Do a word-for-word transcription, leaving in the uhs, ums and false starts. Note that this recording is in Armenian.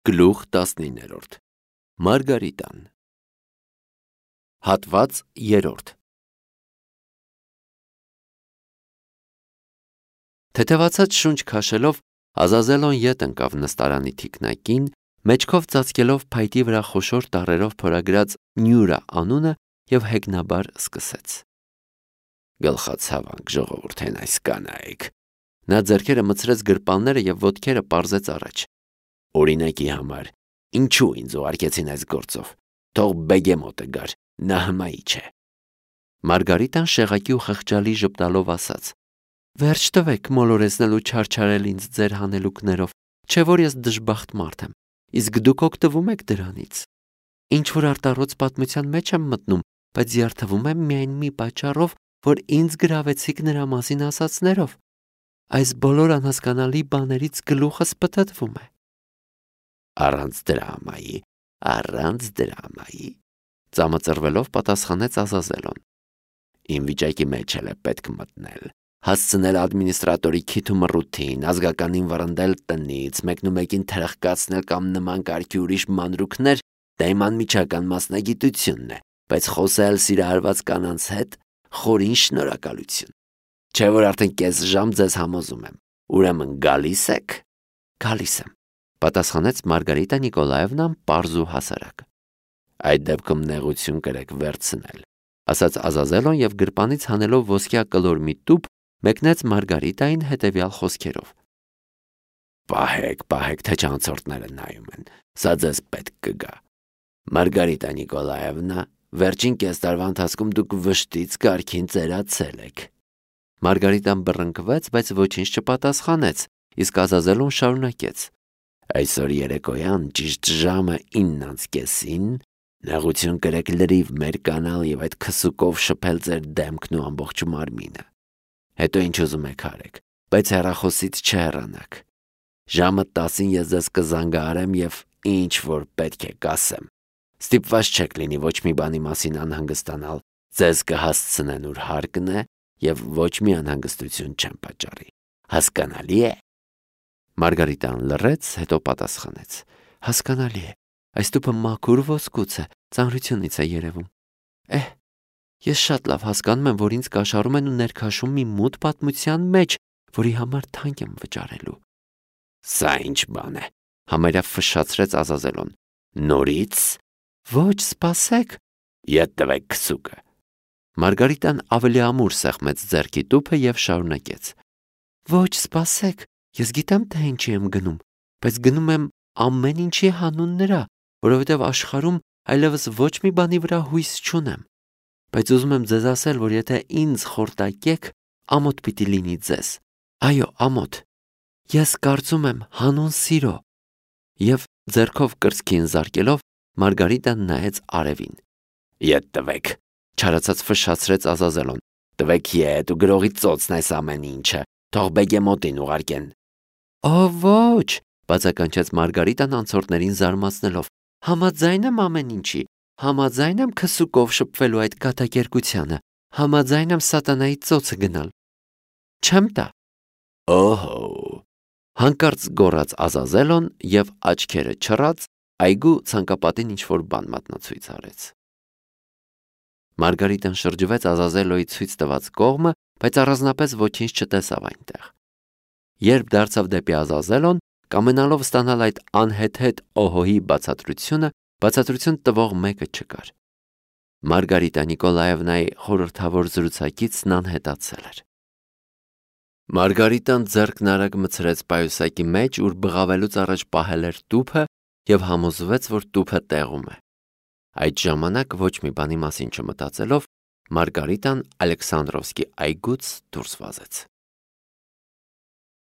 Գլուխ տասնիններորդ Մարգարիտան Հատված երրորդ Թեթևացած շունչ քաշելով Ազազելոն ետ ընկավ նստարանի թիկնակին, մեջքով ծածկելով փայտի վրա խոշոր տառերով փորագրած Նյուրա անունը եւ հեգնաբար սկսեց. Գլխացավանք ժողովուրդեն այս կանայք. Նա ձեռքերը մցրեց գրպանները եւ ոտքերը պարզեց առաջ. Օրինակի համար, ինչու ինձ ուղարկեցին այս գործով, թող բեգեմոտը գար, նա հմայի չէ։ Մարգարիտան շեղակի ու խղճալի ժպտալով ասաց. Վերջ տվեք մոլորեցնելու չարչարել ինձ ձեր հանելուկներով, չէ որ ես դժբախտ մարդ եմ, իսկ դուք օգտվում եք դրանից։ Ինչ որ արտառոց պատմության մեջ եմ մտնում, բայց զարթվում եմ միայն մի պատճառով, որ ինձ գրավեցիք նրա մասին ասացներով։ Այս բոլոր անհասկանալի բաներից գլուխս պտտվում է։ Առանց դրամայի, առանց դրամայի, ծամծրվելով պատասխանեց Ազազելոն։ Իմ վիճակի մեջ էլ է պետք մտնել, հասցնել ադմինիստրատորի քիթ ու մռութին, ազգականին վռնդել տնից, մեկնումեկին թրխկացնել կամ նման կարգի ուրիշ մանրուքներ, դա իմ անմիջական մասնագիտությունն է, բայց խոսել սիրահարված կանանց հետ խորին շնորհակալություն։ Չէ որ արդեն կես ժամ ձեզ համոզում եմ, ուրեմն գալիս եք։ Գալիս եմ, պատասխանեց Մարգարիտա Նիկոլաևնան պարզ ու հասարակ։ Այդ դեպքում նեղություն կրեք վերցնել, ասաց Ազազելոն եւ գրպանից հանելով ոսկյա կլոր մի տուփ մեկնեց Մարգարիտային հետեւյալ խոսքերով. Պահեք, պահեք, թե չանցորդները նայում են, սա ձեզ պետք կգա։ Մարգարիտա Նիկոլաևնա, վերջին կես տարվա ընթացքում դուք վշտից կարգին ծերացել եք։ Մարգարիտան բռնկվեց, բայց ոչինչ չպատասխանեց, իսկ Ազազելոն շարունակեց. Այսօր երեկոյան ճիշտ ժամը ինն անց կեսին նեղություն կրեք լրիվ մեր կանալ եւ այդ քսուկով շփել ձեր դեմքն ու ամբողջ մարմինը։ Հետո ինչ ուզում եք արեք, բայց հեռախոսից չհեռանաք։ Ժամը տասին ես ձեզ կզանգահարեմ եւ ինչ որ պետք է կասեմ։ Ստիպված չեք լինի ոչ մի բանի մասին անհանգստանալ, ձեզ կհասցնեն ուր հարկն է եւ ոչ մի անհանգստություն չեմ պատճառի։ Հասկանալի է։ Մարգարիտան լռեց, հետո պատասխանեց. Հասկանալի է։ Այս տուփը մաքուր ոսկուց է, ծանրությունից է երևում։ Էհ, ես շատ լավ հասկանում եմ, որ ինձ կաշառում են ու ներքաշում մի մութ պատմության մեջ, որի համար թանկ եմ վճարելու։ Սա ինչ բան է, համարյա ֆշշացրեց Ազազելոն։ Նորից։ Ոչ, սպասեք։ Ետ տվեք քսուկը։ Մարգարիտան ավելի ամուր սեղմեց ձեռքի տուփը եւ շարունակեց. Ոչ, սպասեք, ես գիտեմ թե ինչի եմ գնում, բայց գնում եմ ամեն ինչի հանուն նրա, որովհետեւ աշխարհում այլևս ոչ մի բանի վրա հույս չունեմ։ Բայց ուզում եմ ձեզ ասել, որ եթե ինձ խորտակեք, ամոթ պիտի լինի ձեզ։ Այո, ամոթ։ Ես կարծում եմ հանուն սիրո։ Եվ ձեռքով կրծքին զարկելով Մարգարիտան նայեց արևին։ Ետ տվեք, չարացած ֆշշացրեց Ազազելոն։ Տվեք ետ ու գրողի ծոցն այս ամեն ինչը, թող բեգեմոտին ուղարկեն։ Օ ոչ, բացականչեց Մարգարիտան անցորդներին զարմացնելով։ Համաձայն եմ ամեն ինչի, համաձայն եմ քսուկով շփվելու այդ կատակերգությանը, համաձայն եմ սատանայի ծոցը գնալ։ Չեմ տա։ Օհո։ Հանկարծ գոռաց Ազազելոն եւ աչքերը չռած այգու ցանկապատին ինչ-որ բան մատնացույց արեց։ Մարգարիտան շրջվեց Ազազելոյի ցույց տված կողմը, բայց առանձնապես ոչինչ չտեսավ այնտեղ։ Երբ դարձավ դեպի Ազազելոն, կամենալով ստանալ այդ անհեթեթ օհոհի բացատրությունը, բացատրություն տվող մեկը չկար։ Մարգարիտա Նիկոլաևնայի խորհրդավոր զրուցակիցն անհետացել էր։ Մարգարիտան ձեռքն արագ մցրեց պայուսակի մեջ, ուր բղավելուց առաջ պահել էր տուփը եւ համոզվեց, որ տուփը տեղում է։ Այդ ժամանակ ոչ մի բանի մասին չմտածելով Մարգարիտան Ալեքսանդրովսկի այգուց դուրս վազեց։